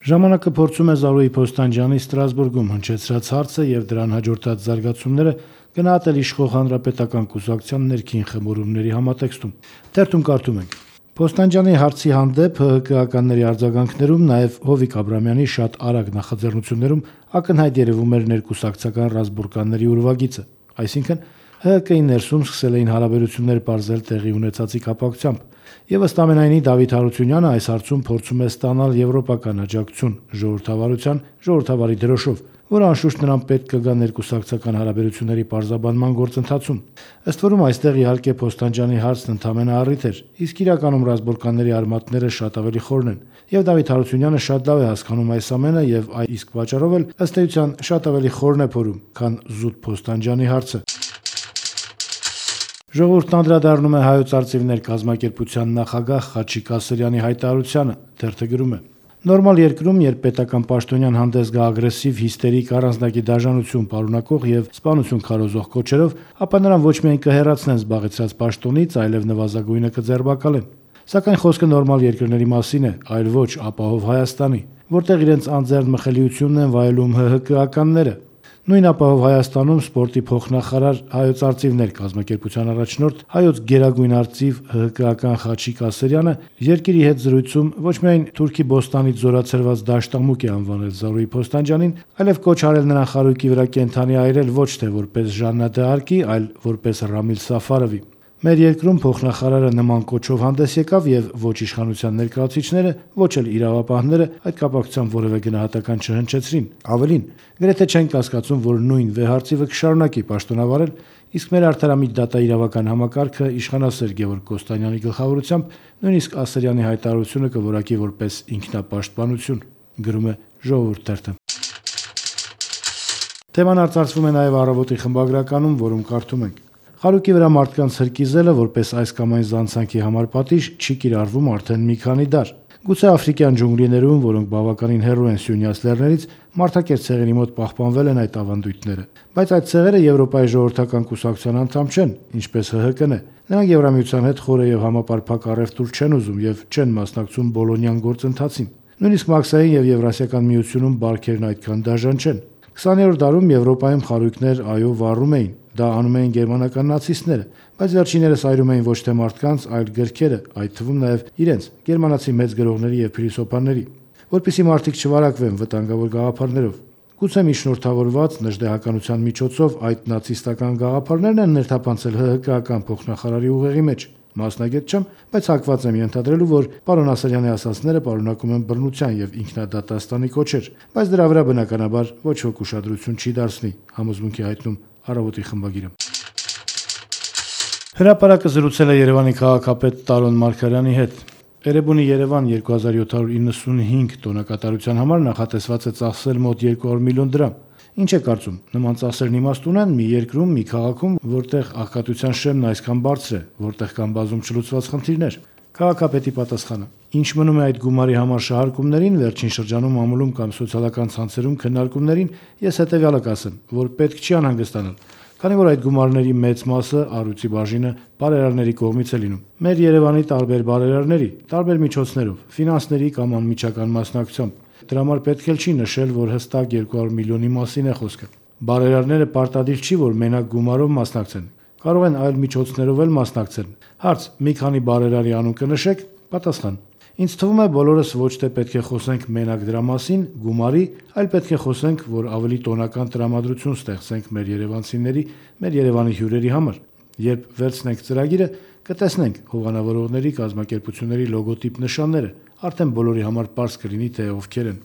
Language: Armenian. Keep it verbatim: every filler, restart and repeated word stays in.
Ժամանակը փորձում է Զարուհի Փոստանջյանի Ստրասբուրգում հնչեցրած հարցը եւ դրան հաջորդած զարգացումները գնահատել իշխող հանրապետական կուսակցության ներքին խմորումների համատեքստում։ Թերթում կարդում ենք. Փոստանջյանի հարցի հանդեպ ՀՀԿ-ականների արձագանքներում, նաեւ Հովիկ Աբրամյանի շատ արագ նախաձեռնություններում ակնհայտ երևում էր ներկուսակցական ռազմբուրկանների ուրվագիծը, այսինքն ՀՀԿ-ի ներսում սկսել էին հարաբերություններ պարզել տեղի ունեցածի կապակցությամբ, եւ ըստ ամենայնի Դավիթ Հարությունյանը այս հարցում փորձում է ստանալ եվրոպական աջակցություն ժողովրդավարության ժողովրդավարի դրոշով, որը անշուշտ նրան պետք կգա ներկուսակցական հարաբերությունների պարզաբանման գործընթացում։ Ըստ որում այստեղ իհարկե Փոստանջյանի հարցն ընդամենը առիթ էր, իսկ իրականում ռազմբուրկանների արմատները շատ ավելի խորն են, եւ Դավիթ Հարությունյանը շատ լավ է հասկանում այս ամենը եւ այդ իսկ պատճառով էլ ըստ էության շատ ավելի խորն է փորում, քան զուտ Փոստանջյանի հարցը։ Ժողովուրդն անդրադառնում է Հայոց արծիվներ կազմակերպության նախագահ Խաչիկ Ասրյանի հայտարարությանը, թերթը գրում է. Նորմալ երկրում, երբ պետական պաշտոնյան հանդես գա ագրեսիվ, հիստերիկ, առանձնակի դաժանություն պարունակող եւ սպանություն քարոզող կոչերով, ապա նրան ոչ միայն կհեռացնեն զբաղեցրած պաշտոնից, այլև նվազագույնը կձերբակալեն։ Սակայն խոսքը նորմալ երկրների մասին է, այլ ոչ ապահով Հայաստանի, որտեղ իրենց անձեռն մխելիությունն են վայելում ՀՀԿ-ականները։ Նույն ապահով Հայաստանում սպորտի փոխնախարար Հայոց արծիվներ կազմակերպության առաջնորդ հայոց գերագույն արծիվ ՀՀԿ-ական Խաչիկ Ասրյանը երկիրի հետ զրույցում ոչ միայն Թուրքի Բոստանից զորացրված դաշտամուկ է անվանել Զարուհի Փոստանջյանին, այլև կոչ արել նրան խարույկի վրա կենդանի այրել ոչ թե որպես Ժաննա դ'Արկի, այլ որպես Ռամիլ Սաֆարովի։ Մեր երկրում փոխնախարարը նման կոչով հանդես եկավ եւ ոչ իշխանության ներկայացուցիչները, ոչ էլ իրավապահները այդ կապակցությամբ որևէ գնահատական չհնչեցրին։ Ավելին, գրեթե չեն կասկածում, որ նույն վեհարծիվը կշարունակի պաշտոնավարել, իսկ մեր արդարամիտ դատաիրավական համակարգը իշխանասեր Գևորգ Կոստանյանի գլխավորությամբ նույնիսկ Ասրյանի հայտարարությունը կորակի որպես ինքնապաշտպանություն, գրում է Ժողովուրդ թերթը։ Թեման արծարծվում է նաեւ Առավոտի խմբագրականում, որում կարդում ենք. Խարույկի վրա մարդկանց հրկիզելը որպես այս կամ այն զանցանքի համար պատիժ չի կիրառվում արդեն մի քանի դար։ Գուցե աֆրիկյան ջունգլիներում, որոնք բավականին հեռու են Սյունյաց լեռներից, մարդակերտ ցեղերի մոտ պահպանվել են այդ ավանդույթները, բայց այդ ցեղերը Եվրոպայի ժողովրդական կուսակցության անդամ չեն, ինչպես ՀՀԿ-ն է։ Նրանք Եվրամիության հետ խորը եւ համապարփակ առևտուր չեն ուզում եւ չեն մասնակցում Բոլոնյան գործընթացին։ Նույնիսկ Մաքսային եւ Եվրասիական միությունում բարքերն այդքան դաժան չեն։ քսաներորդ դարում Եվրոպայում խարույկներ այո վառում էին, դա անում էին գերմանական նացիստները, բայց վերջիններս այրում էին ոչ թե մարդկանց, այլ գրքերը, այդ թվում նաև իրենց, գերմանացի մեծ գրողների եւ փիլիսոփաների, որպեսզի մարդիկ չվարակվեն վտանգավոր գաղափարներով։ Գուցե միջնորդավորված նժդեհականության միջոցով այդ նացիստական գաղափարներն են ներթափանցել ՀՀԿ-ական փոխնախարարի ուղեղի մեջ։ Մասնագետ չեմ, բայց հակված եմ ենթադրելու, որ պարոն Ասրյանի ասածները պարունակում են բռնության եւ ինքնադատաստանի կոչեր, բայց դրա վրա բնականաբար ոչ ոք ուշադրություն չի դարձնի, համոզմունքի հայտնում Առավոտի խմբագիրը։ Հրապարակը զրուցել է Երևանի քաղաքապետ Տարոն Մարգարյանի հետ։ Էրեբունի Երևան երկու հազար յոթ հարյուր իննսունհինգ տոնակատարության համար նախատեսված է ծախսել մոտ երկու հարյուր միլիոն դրամ։ Ինչ է կարծում, նման ծախսերն իմաստ ունեն մի երկրում, մի քաղաքում, որտեղ աղքատության շեմն այսքան բարձր է, որտեղ կան բազում չլուծված խնդիրներ։ Քաղաքապետի պատասխանը. Ինչ մնում է այդ գումարի համար շահարկումներին, վերջին շրջանում ամուլում կամ սոցիալական ցանցերում քննարկումներին, ես հետեւյալը կասեմ, որ պետք չի անհանգստանալ, քանի որ այդ գումարների մեծ մասը առույցի բաժինը բարերարների կողմից է լինում։ Մեր Երևանի տարբեր բարերարների, տարբեր միջոցներով, ֆինանսների կամ անմիջական մասնակցությամբ։ Դրա համար պետք էլ չի նշել, որ հստակ երկու հարյուր միլիոնի մասին է խոսքը։ Բարերարները պարտադիր չի, որ մենակ գումարով մասնակցեն։ Կարող են այլ միջոցներով էլ մասնակցել։ Հարց. մի քանի բարերարի անուն կնշեք։ Պատասխան. Ինձ թվում է բոլորս ոչ թե պետք է խոսենք մենակ դրա մասին, գումարի, այլ պետք է խոսենք, որ ավելի տոնական տրամադրություն ստեղծենք մեր երևանցիների, մեր Երևանի հյուրերի համար։ Երբ վերցնենք ծրագիրը, կտեսնենք հովանավորողների կազմակերպությունների լոգոտիպ նշանները, արդեն բոլորի համար պարզ կլինի, թե ովքեր են։